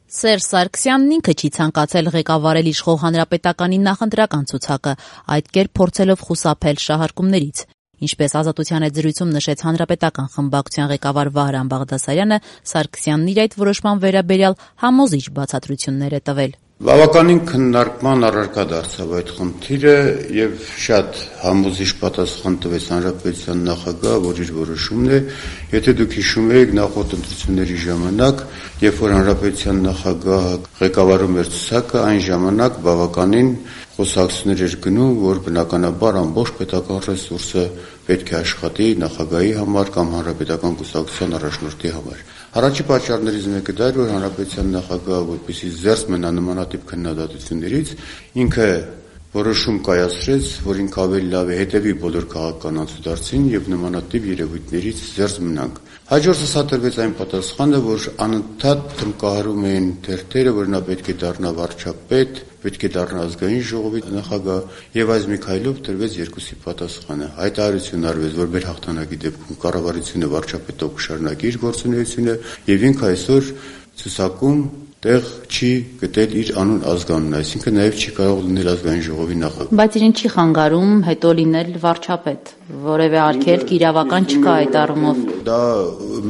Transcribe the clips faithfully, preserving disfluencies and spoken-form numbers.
Սերժ Սարգսյանն ինքը չի ցանկացել ղեկավարել իշխող հանրապետականի նախընտրական ցուցակը, այդ կերպ փորձելով խուսափել շահարկումներից։ Ինչպես Ազատության հետ զրույցում նշեց հանրապետական խմբակցության ղեկավար Վահրամ Բաղդասարյանը, Սարգսյանն իր այդ որոշման վերաբերյալ համոզիչ բացատրություններ է տվել։ Բավականին քննարկման առարկա դարձավ այդ խնդիրը եւ շատ համոզիչ պատասխան տվեց հանրապետության նախագահը, որ իր որոշումն է, եթե դուք հիշում եք նախորդ ընտրությունների ժամանակ, երբ որ հանրապետության նախագահը ղեկավարում էր ցուցակը, այն ժամանակ բավականին խոսակցություններ էր գնում, որ բնականաբար ամբողջ պետական ռեսուրսը պետք է աշխատի նախագահի համար կամ հանրապետական կուսակցության առաջնորդի համար։ Առաջի պատճառներից մեկը դա էր, որ հանրապետության նախագահը, որպեսզի զերծ մնա նմանատիպ քննադատություններից, ինքը որոշում կայացրեց, որ ինքը ավելի լավ է հետևի բոլոր քաղաքական անցուդարձին եւ նմանատիպ երևույթներից զերծ մնանք։ Հաջորդը սա տրվեց այն պատասխանը, որ անընդհատ տնկահարում էին թերթերը, որ նա պետք է դառնա վարչապետ, պետք է դառնա ազգային ժողովի նախագահ, եւ այս մի քայլով տրվեց երկուսի պատասխանը։ Հայտարարություն արվեց, որ մեր հաղթանակի դեպքում կառավարությունը վարչապետով կշարունակի իր գործունեությունը եւ ինքը այսօր ցուցակում տեղ չի գտել իր անուն ազգանուն, այսինքն նաև չի կարող լինել ազգային ժողովի նախագահ։ Բայց իրեն չի խանգարում հետո լինել վարչապետ, որևէ արգելք իրավական չկա այդ առումով։ Դա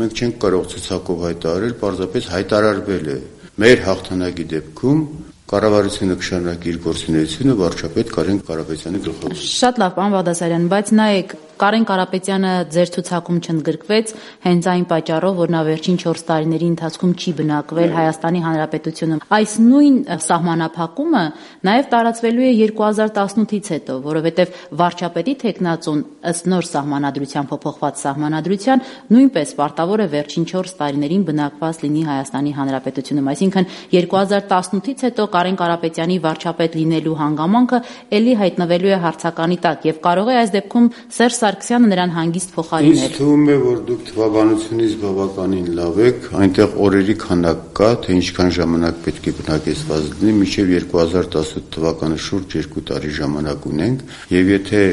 մենք չենք կարող ցուցակով հայտարարել, պարզապես հայտարարվել է։ Մեր հաղթանակի դեպքում կառավարությունը կշարունակի իր գործունեությունը վարչապետ Կարեն Կարապետյանի գլխավորությամբ։ Շատ լավ, պարոն Բաղդասարյան, բայց նայեք, Կարեն Կարապետյանը ձեր ցուցակում չընդգրկվեց հենց այն պատճառով, որ նա վերջին չորս տարիների ընթացքում չի բնակվել Հայաստանի Հանրապետությունում։ Այս նույն սահմանափակումը նաև տարածվելու է երկու հազար տասնութից հետո, որովհետև վարչապետի թեկնածուն ըստ նոր սահմանադրության փոփոխված սահմանադրության նույնպես պարտավոր է վերջին չորս տարիներին բնակված լինի Հայաստանի Հանրապետությունում։ Այսինքն երկու հազար տասնութից հետո Կարեն Կարապետյանի վարչապետ լինելու հանգամանքը ելի հայտնվելու է հարցականի տակ եւ կարող է այս դեպքում Սերժ Սարգսյանը նրան հանգիստ փոխարինել։ Ինձ թվում է, որ դուք թվականությունից բավականին լավ եք, այնտեղ օրերի քանակ կա, թե ինչքան ժամանակ պետք է բնակեցված լինի, մինչև երկու հազար տասութ թվականը շուրջ երկու տարի ժամանակ ունենք, եւ եթե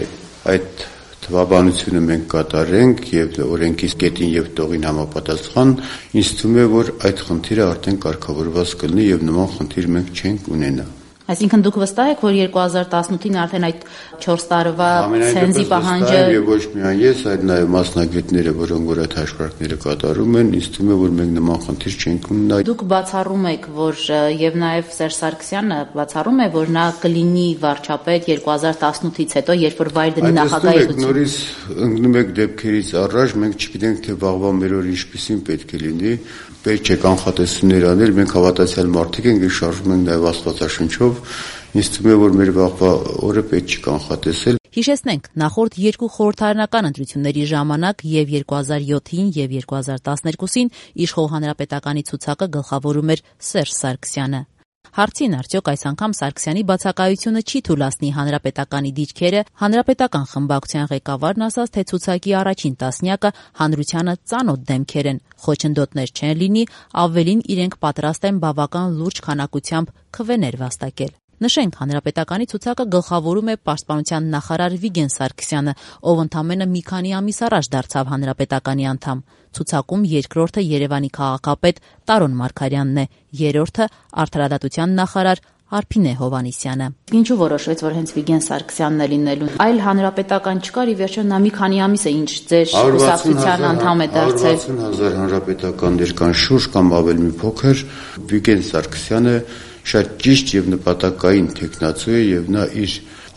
այդ թվականությունը մենք կատարենք եւ օրենքի կետին եւ տողին համապատասխան, ինձ թվում է, որ այդ խնդիրը արդեն կարգավորված կլինի եւ նման խնդիր մենք չենք ունենա։ Այսինքն դուք վստահ եք, որ երկու հազար տասնութին արդեն այդ չորս տարվա ցենզի պահանջը եւ ոչ միայն ես, այլ նաեւ մասնագետները, որոնք որ այդ հաշվարկները կատարում են, ինձ թվում է, որ մենք նման խնդիր չենք ունենա։ Դուք բացառում եք, որ եւ նաեւ Սերժ Սարգսյանը բացառում է, որ նա կլինի վարչապետ երկու հազար տասնութից հետո, երբ որ վայր դնի նախագահի ցուցակը։ Նորից ընկնում եք դեպքերից առաջ, մենք չգիտենք, թե վաղվա մեր օր ինչպեսին պետք է լինի, պետք է կանխատեսումներ անել, մենք հավատացյալ մարդիկ ենք, շարժվում ենք նաեւ Աստվածաշնչով։ Ինձ թվում է, որ մեր վաղվա օրը պետք չի կանխատեսել։ Հիշեցնենք, նախորդ երկու խորհրդարանական ընտրությունների ժամանակ եւ երկու հազար յոթին եւ երկու հազար տասներկուսին իշխող հանրապետականի ցուցակը գլխավորում էր Սերժ Սարգսյանը։ Հարցին արդյոք այս անգամ Սարգսյանի բացակայությունը չի թույլատնի հանրապետականի դիրքերը, հանրապետական խմբակցության ղեկավարն ասաց, թե ցուցակի առաջին տասնյակը հանրությանը ծանոթ դեմքեր են, խոչընդոտներ չեն լինի, ավելին իրենք պատրաստ են բավական լուրջ քանակությամբ քվեներ վաստակել։ Նշենք, հանրապետականի ցուցակը գլխավորում է պաշտպանության նախարար Վիգեն Սարգսյանը, ով ընդամենը մի քանի ամիս առաջ դարձավ հանրապետականի անդամ։ Ցուցակում երկրորդը Երևանի քաղաքապետ Տարոն Մարգարյանն է, երրորդը արդարադատության նախարար Արփինե Հովհաննիսյանը։ Ինչու որոշվեց, որ հենց Վիգեն Սարգսյանն է լինելու։ Այլ հանրապետական չկար, ի վերջո նա մի քանի ամիս է ինչ ձեր կուսակցության անդամ է դարձել։ հարյուր վաթսուն հազար հանրապետականներ կան շուրջ կամ ավելի մի փոքր, Վիգեն Սարգսյանը շատ ճիշտ եւ նպատակային տեխնացու է եւ նա իր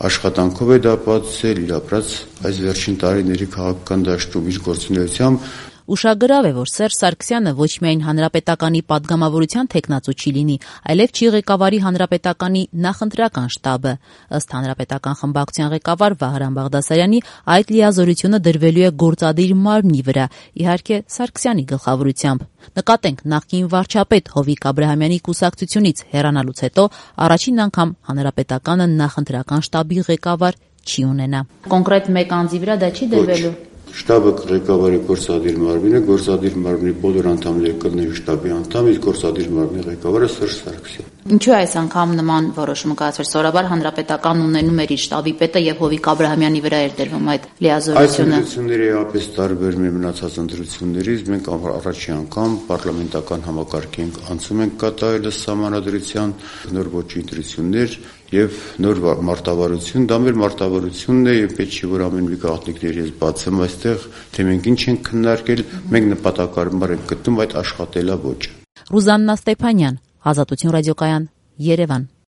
աշխատանքով է դա ապացուցել, իր ապրած այս վերջին տարիների քաղաքական դաշտում իր գործունեությամբ։ Ուշագրավ է, որ Սերժ Սարգսյանը ոչ միայն հանրապետականի падգամավորության տեխնացու չի լինի, այլև չի ղեկավարի հանրապետականի նախընտրական շտաբը։ Ըստ հանրապետական խմբակցության ղեկավար Վահրամ Բաղդասարյանի, այդ լիազորությունը դրվելու է գործադիր մարմնի վրա, իհարկե Սարգսյանի գլխավորությամբ։ Նկատենք, նախկին վարչապետ Հովիկ Աբրահամյանի կուսակցությունից հեռանալուց հետո առաջին անգամ հանրապետականը նախընտրական շտաբի ղեկավար չի ունենա։ Կոնկրետ մեկ անձի վրա դա չի դրվելու։ Շտաբը ղեկավարի գործադիր մարմինը, գործադիր մարմնի բոլոր անդամները կլինեն շտաբի անդամ, իսկ գործադիր մարմնի ղեկավարը Սերժ Սարգսյանն։ Ինչու է այս անգամ նման որոշումը կայացվել? Սովորաբար հանրապետական ունենում էր իր շտաբի պետը եւ Հովիկ Աբրահամյանի վրա էր դրվում այդ լիազորությունը։ Այս ընտրությունները էապես տարբեր մի մնացած ընտրություններից մենք առաջի անգամ պարլամենտական համակարգի ենք անցում ենք կատարել սահմանադրության նոր ոչի ընտրություններ եւ նոր մարտավարություն, դա մեր մարտավարությունն է եւ պետք չի որ ամեն մի գաղտնիքների ես բացեմ այստեղ, թե մենք ինչ ենք քննարկել, մենք նպատակարար ենք գտնում այդ աշխատելավոճը։ Ռուզաննա Ստեփանյան, Ազատություն ռադիոկայան, Երևան։